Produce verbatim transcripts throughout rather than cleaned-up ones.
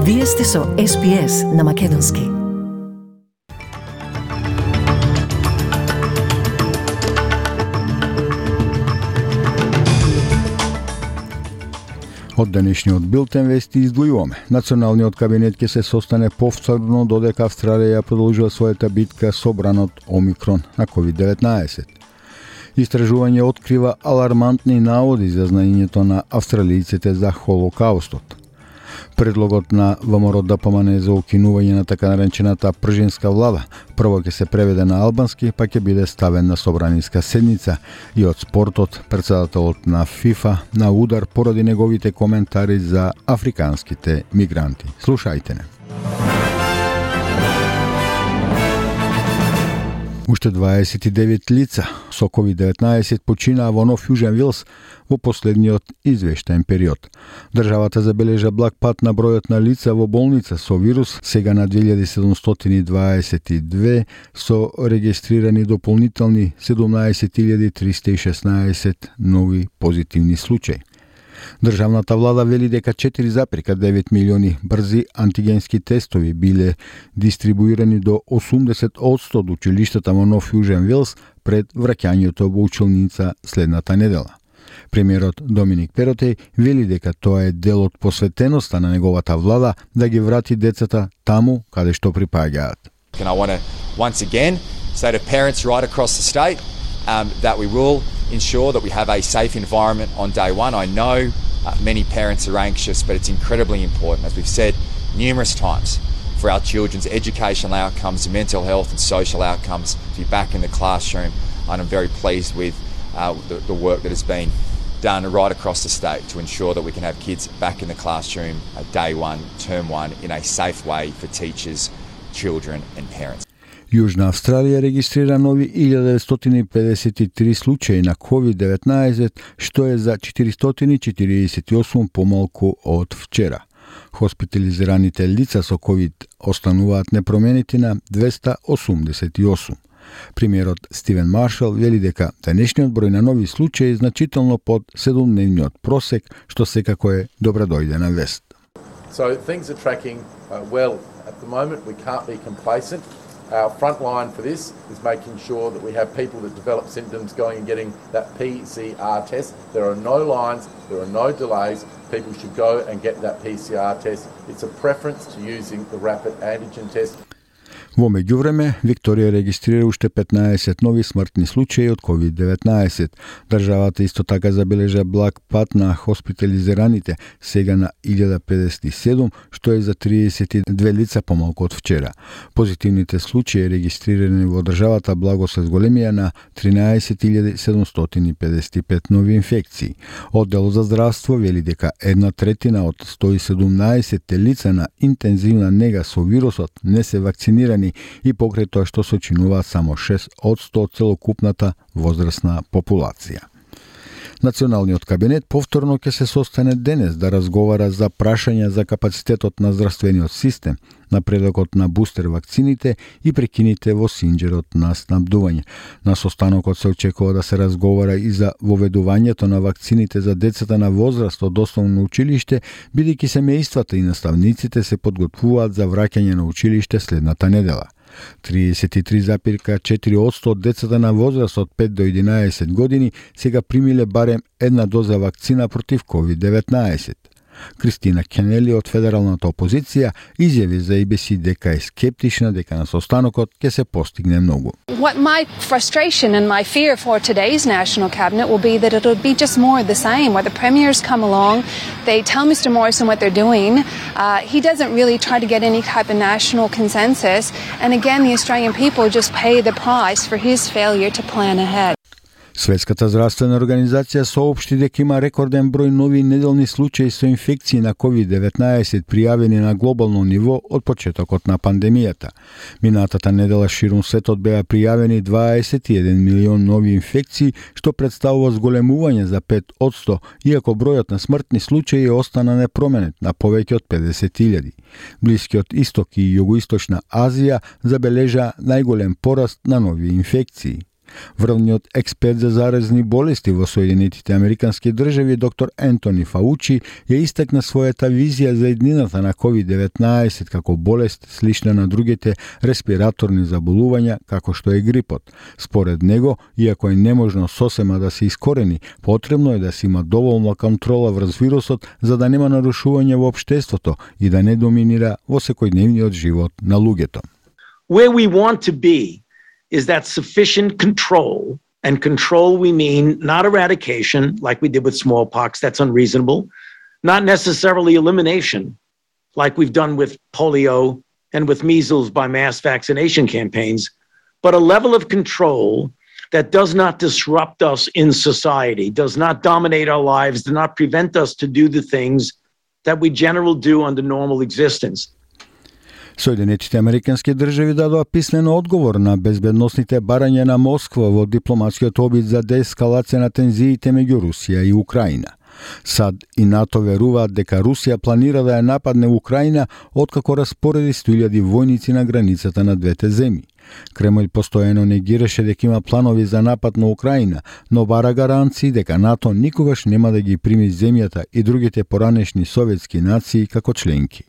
Вие сте со Ес Би Ес на Македонски. Од денешниот билтен вести издвојуваме. Националниот кабинет ќе се состане повторно додека Австралија продолжува својата битка со бранот Омикрон на ковид деветнаесет. Истражување открива алармантни наводи за знаењето на австралијците за Холокаустот. Предлогот на ВМРО ДПМН за укинување на така наречената пржинска влада прво ќе се преведе на албански, па ќе биде ставен на собраниска седница. И од спортот, претседателот на ФИФА на удар поради неговите коментари за африканските мигранти. Слушајте не. Уште дваесет и девет лица со ковид деветнаесет починаа во Нов Јужен Вилс во последниот извештаен период. Државата забележа благ пат на бројот на лица во болница со вирус, сега на две илјади седумстотини дваесет и две, со регистрирани дополнителни седумнаесет илјади триста и шеснаесет нови позитивни случаи. Државната влада вели дека четири запирка девет милиони брзи антигенски тестови биле дистрибуирани до осумдесет одсто од училиштата во Нов Јужен Вилс пред враќањето во училница следната недела. Премиерот Доминик Перотеј вели дека тоа е дел од посветеноста на неговата влада да ги врати децата таму каде што припаѓаат. And I want to once again say to parents right across the state um, that we will ensure that we have a safe environment on day one. I know uh, many parents are anxious, but it's incredibly important, as we've said numerous times, for our children's educational outcomes, mental health and social outcomes to be back in the classroom. And I'm very pleased with uh, the, the work that has been done right across the state to ensure that we can have kids back in the classroom uh, day one, term one, in a safe way for teachers, children and parents. Јужна Австралија регистрира нови илјада деветстотини педесет и три случаи на ковид деветнаесет, што е за четиристотини четиридесет и осум помалку од вчера. Хоспитализираните лица со ковид остануваат непроменети на двеста осумдесет и осум. Премиерот Стивен Маршал вели дека денешниот број на нови случаи е значително под седумдневниот просек, што секако е добра дојдена вест. So things are tracking uh, well at the moment. We can't be complacent. Our front line for this is making sure that we have people that develop symptoms going and getting that P C R test. There are no lines, there are no delays. People should go and get that P C R test. It's a preference to using the rapid antigen test. Во меѓувреме, Викторија регистрира уште петнаесет нови смртни случаи од ковид деветнаесет. Државата исто така забележа благ пат на хоспитализираните, сега на илјада педесет и седум, што е за триесет и две лица помалку од вчера. Позитивните случаи регистрирани во државата благо се зголемија на тринаесет илјади седумстотини педесет и пет нови инфекции. Одделот за здравство вели дека една третина од сто и седумнаесет лица на интензивна нега со вирусот не се вакцинирани и покрај тоа што сочинуваат само шест одсто од целокупната возрастна популација. Националниот кабинет повторно ќе се состане денес да разговара за прашања за капацитетот на здравствениот систем, напредокот на бустер вакцините и прекините во синџерот на снабдување. На состанокот се очекува да се разговара и за воведувањето на вакцините за децата на возраст од основно училиште, бидејќи семејствата и наставниците се подготвуваат за враќање на училиште следната недела. триесет и три запирка четири одсто од децата на возраст од пет до единаесет години сега примиле барем една доза вакцина против ковид деветнаесет. Кристина Кенели од федералната опозиција изјави за И Би Си дека е скептична дека на состанокот ќе се постигне многу. What my frustration and my fear for today's National Cabinet will be that it'll be just more of the same, where the premiers come along, they tell Mister Morrison what they're doing, uh, he doesn't really try to get any type of national consensus, and again the Australian people just pay the price for his failure to plan ahead. Светската здравствена организација соопшти дека има рекорден број нови неделни случаи со инфекции на ковид деветнаесет пријавени на глобално ниво од почетокот на пандемијата. Минатата недела ширум светот беа пријавени дваесет и еден милион нови инфекции, што представува зголемување за пет одсто, иако бројот на смртни случаи остана непроменет на повеќе од педесет илјади. Блискиот исток и југоисточна Азија забележа најголем пораст на нови инфекции. Врвниот експерт за заразни болести во Соединетите Американски држави, доктор Ентони Фаучи, ја истакна својата визија за иднината на ковид деветнаесет како болест слична на другите респираторни заболувања, како што е грипот. Според него, иако е неможно сосема да се искорени, потребно е да се има доволна контрола врз вирусот за да нема нарушување во општеството и да не доминира во секојдневниот живот на луѓето. Where we want to be is that sufficient control, and control we mean not eradication like we did with smallpox, that's unreasonable, not necessarily elimination like we've done with polio and with measles by mass vaccination campaigns, but a level of control that does not disrupt us in society, does not dominate our lives, does not prevent us to do the things that we generally do under normal existence. Соединетите Американски држави дадоа писмен одговор на безбедносните барања на Москва во дипломатскиот обид за деескалација на тензиите меѓу Русија и Украина. САД и НАТО веруваат дека Русија планира да ја нападне Украина откако распореди сто илјади војници на границата на двете земји. Кремљ постојано негираше дека има планови за напад на Украина, но бара гаранции дека НАТО никогаш нема да ги прими земјата и другите поранешни советски нации како членки.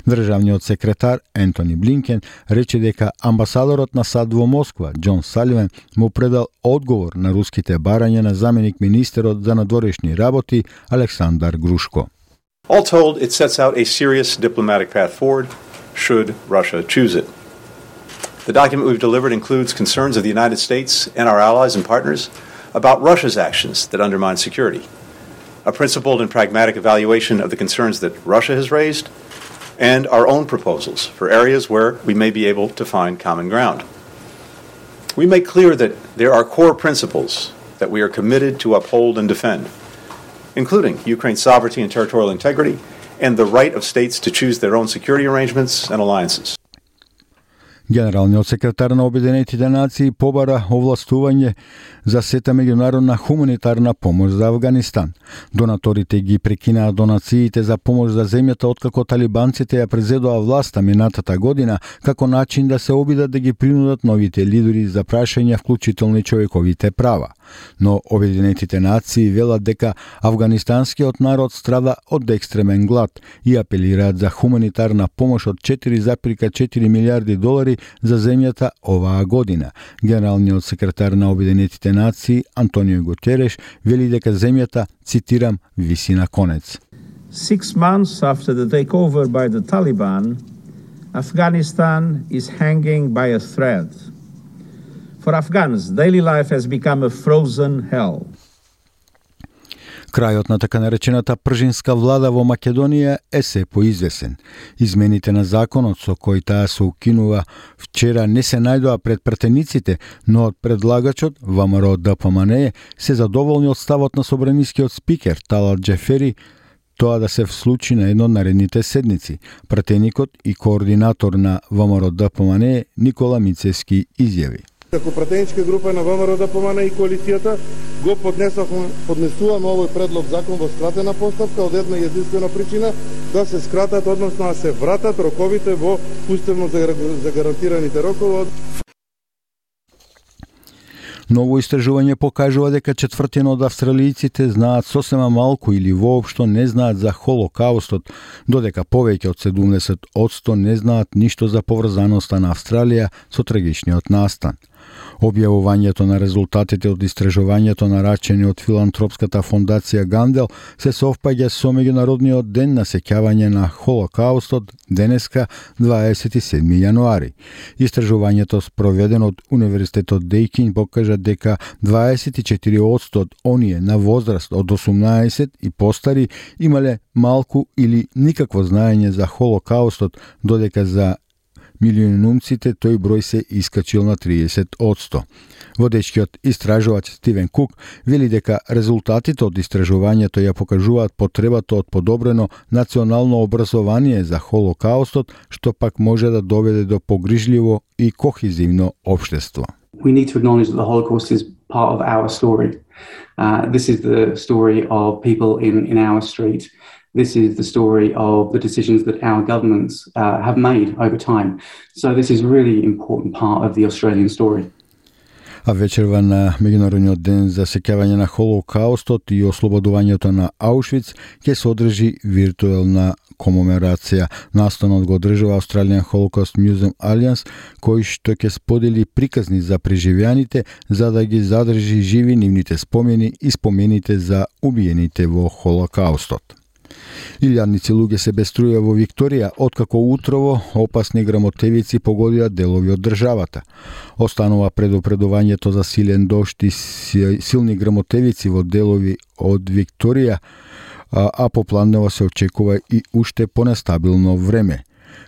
Државниот секретар Ентони Блинкен рече дека амбасадорот на САД во Москва, Џон Саливан, му предал одговор на руските барања на заменик министерот за надворешни работи Александар Грушко. All told, it sets out a serious diplomatic path forward should Russia choose it. The document we've delivered includes concerns of the United States and our allies and partners about Russia's actions that undermine security, a principled and pragmatic evaluation of the concerns that Russia has raised, and our own proposals for areas where we may be able to find common ground. We make clear that there are core principles that we are committed to uphold and defend, including Ukraine's sovereignty and territorial integrity, and the right of states to choose their own security arrangements and alliances. Генералниот секретар на Обединетите нации побара овластување за сета меѓународна хуманитарна помош за Авганистан. Донаторите ги прекинаа донациите за помош за земјата откако талибанците ја презедоа власта минатата година како начин да се обидат да ги принудат новите лидери за прашања вклучителни човековите права. Но Обединетите нации велат дека афганистанскиот народ страда од екстремен глад и апелираат за хуманитарна помош од четири зарез четири милијарди долари за земјата оваа година. Генералниот секретар на Обединетите нации Антонио Гутереш вели дека земјата, цитирам, виси на конец. Six months after the takeover by the Taliban, Afghanistan is hanging by a thread. For Afghans, daily life has become a frozen hell. Крајот на така наречената пржинска влада во Македонија е се поизвесен. Измените на законот со кој таа се укинува вчера не се најдоа пред пратениците, но од предлагачот ВМРО Д П М Н се задоволни од ставот на собранискиот спикер Талат Џефери тоа да се случи на едно од наредните седници. Пратеникот и координатор на ВМРО Д П М Н Никола Мицевски изјави: Како пратеничка група на ВМРО Д П М Н и коалицијата го поднесуваме поднесуваме овој предлог закон во скратена постапка од една единствена причина да се скратат, односно да се вратат роковите во уставно загарантираните рокови. Ново истражување покажува дека четвртина од австралијците знаат сосема малку или воопшто не знаат за Холокаустот, додека повеќе од седумдесет одсто не знаат ништо за поврзаноста на Австралија со трагичниот настан. Објавувањето на резултатите од истражувањето нарачени од филантропската фондација Гандел се совпаѓа со меѓународниот ден на сеќавање на Холокаустот денеска дваесет и седми јануари. Истражувањето спроведено од Универзитетот Дејкин покажа дека дваесет и четири одсто од оние на возраст од осумнаесет и постари имале малку или никакво знаење за Холокаустот, додека за милионумците тој број се искачил на триесет одсто. Водечкиот истражувач Стивен Кук вели дека резултатите од истражувањето ја покажуваат потребата од подобрено национално образование за Холокаустот, што пак може да доведе до погрижливо и кохезивно општество. We need to acknowledge that the Holocaust is part of our story. Uh, this is the story of people in, in our street. This is the story of the decisions that our governments uh, have made over time. So this is a really important part of the Australian story. А вечерва на Меѓународниот ден за сеќавање на Холокаустот и ослободувањето на Аушвиц ќе се одржи виртуелна комеморација. Настанот го одржува Australian Holocaust Museum Alliance, кој што ќе сподели приказни за преживеаните за да ги задржи живи нивните спомени и спомените за убиените во Холокаустот. Илјадници луѓе се без струја во Викторија, откако утрово опасни грамотевици погодија делови од државата. Останува предупредувањето за силен дожд и силни грамотевици во делови од Викторија, а, а попладнево се очекува и уште понестабилно време.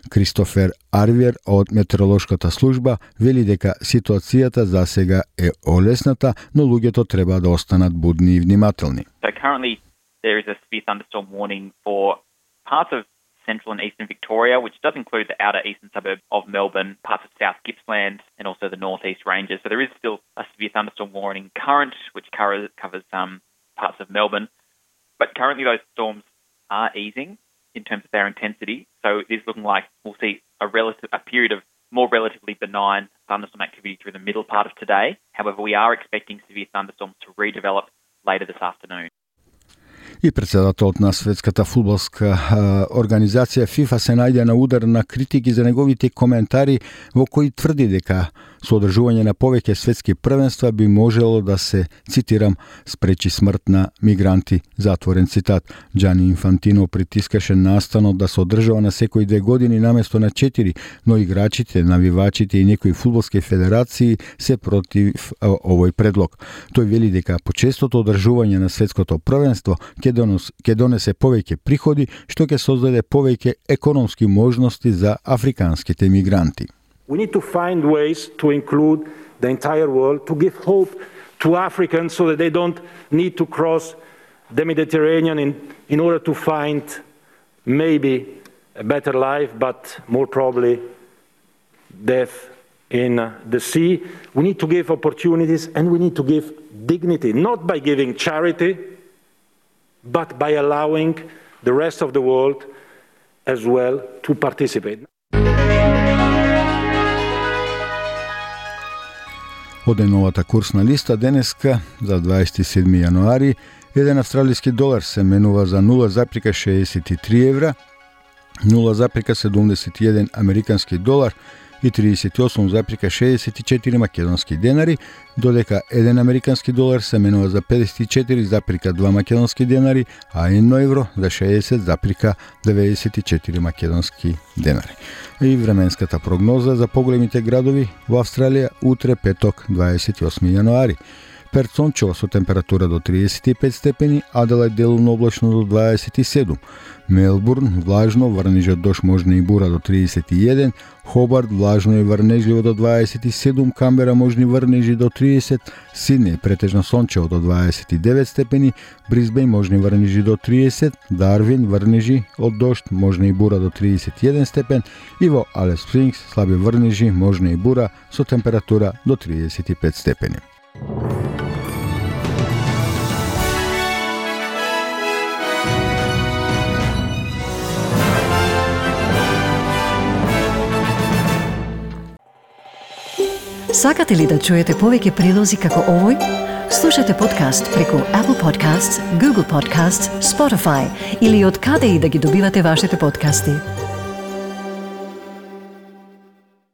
Кристофер Арвиер од метеоролошката служба вели дека ситуацијата за сега е олесната, но луѓето треба да останат будни и внимателни. So currently there is a severe thunderstorm warning for parts of central and eastern Victoria, which does include the outer eastern suburb of Melbourne, parts of South Gippsland, and also the northeast ranges. So there is still a severe thunderstorm warning current, which covers, covers um, parts of Melbourne. But currently those storms are easing in terms of their intensity. So it is looking like we'll see a relative a period of more relatively benign thunderstorm activity through the middle part of today. However, we are expecting severe thunderstorms to redevelop later this afternoon. И председателот на светската фудбалска организација ФИФА се најде на удар на критики за неговите коментари во кои тврди дека со одржување на повеќе светски првенства би можело да се, цитирам, спречи смрт на мигранти, затворен цитат. Џани Инфантино притискаше настанот да се одржава на секои две години наместо на четири, но играчите, навивачите и некои фудбалски федерации се против овој предлог. Тој вели дека почестото одржување на светското првенство ќе донесе повеќе приходи, што ќе создаде повеќе економски можности за африканските мигранти. We need to find ways to include the entire world, to give hope to Africans so that they don't need to cross the Mediterranean in, in order to find maybe a better life, but more probably death in the sea. We need to give opportunities and we need to give dignity, not by giving charity, but by allowing the rest of the world as well to participate. Оде новата курсна листа денеска за дваесет и седми јануари, еден австралиски долар се менува за нула запирка шеесет и три евра, нула запирка седумдесет и еден американски долар и триесет и осум запирка шеесет и четири македонски денари, додека еден американски долар се менува за педесет и четири запирка два македонски денари, а едно евро за шеесет запирка деветдесет и четири македонски денари. И временската прогноза за поголемите градови во Австралија утре петок дваесет и осми јануари. Перт сончево со температура до триесет и пет степени, Аделајд делумно облачно до дваесет и седум, Мелбурн влажно, врнежи дожд можна и бура до триесет и еден, Хобарт влажно и врнежливо до дваесет и седум, Камбера можни врнежи до тридесет, Сиднеј претежно сончево до дваесет и девет степени, Брисбејн можни врнежи до тридесет, Дарвин врнежи од дожд можна и бура до тридесет и еден степен и во Алис Спрингс слаби врнежи можна и бура со температура до тридесет и пет степени. Сакате ли да чуете повеќе прилози како овој? Слушате подкаст преку Apple Podcasts, Google Podcasts, Spotify или од каде и да ги добивате вашите подкасти.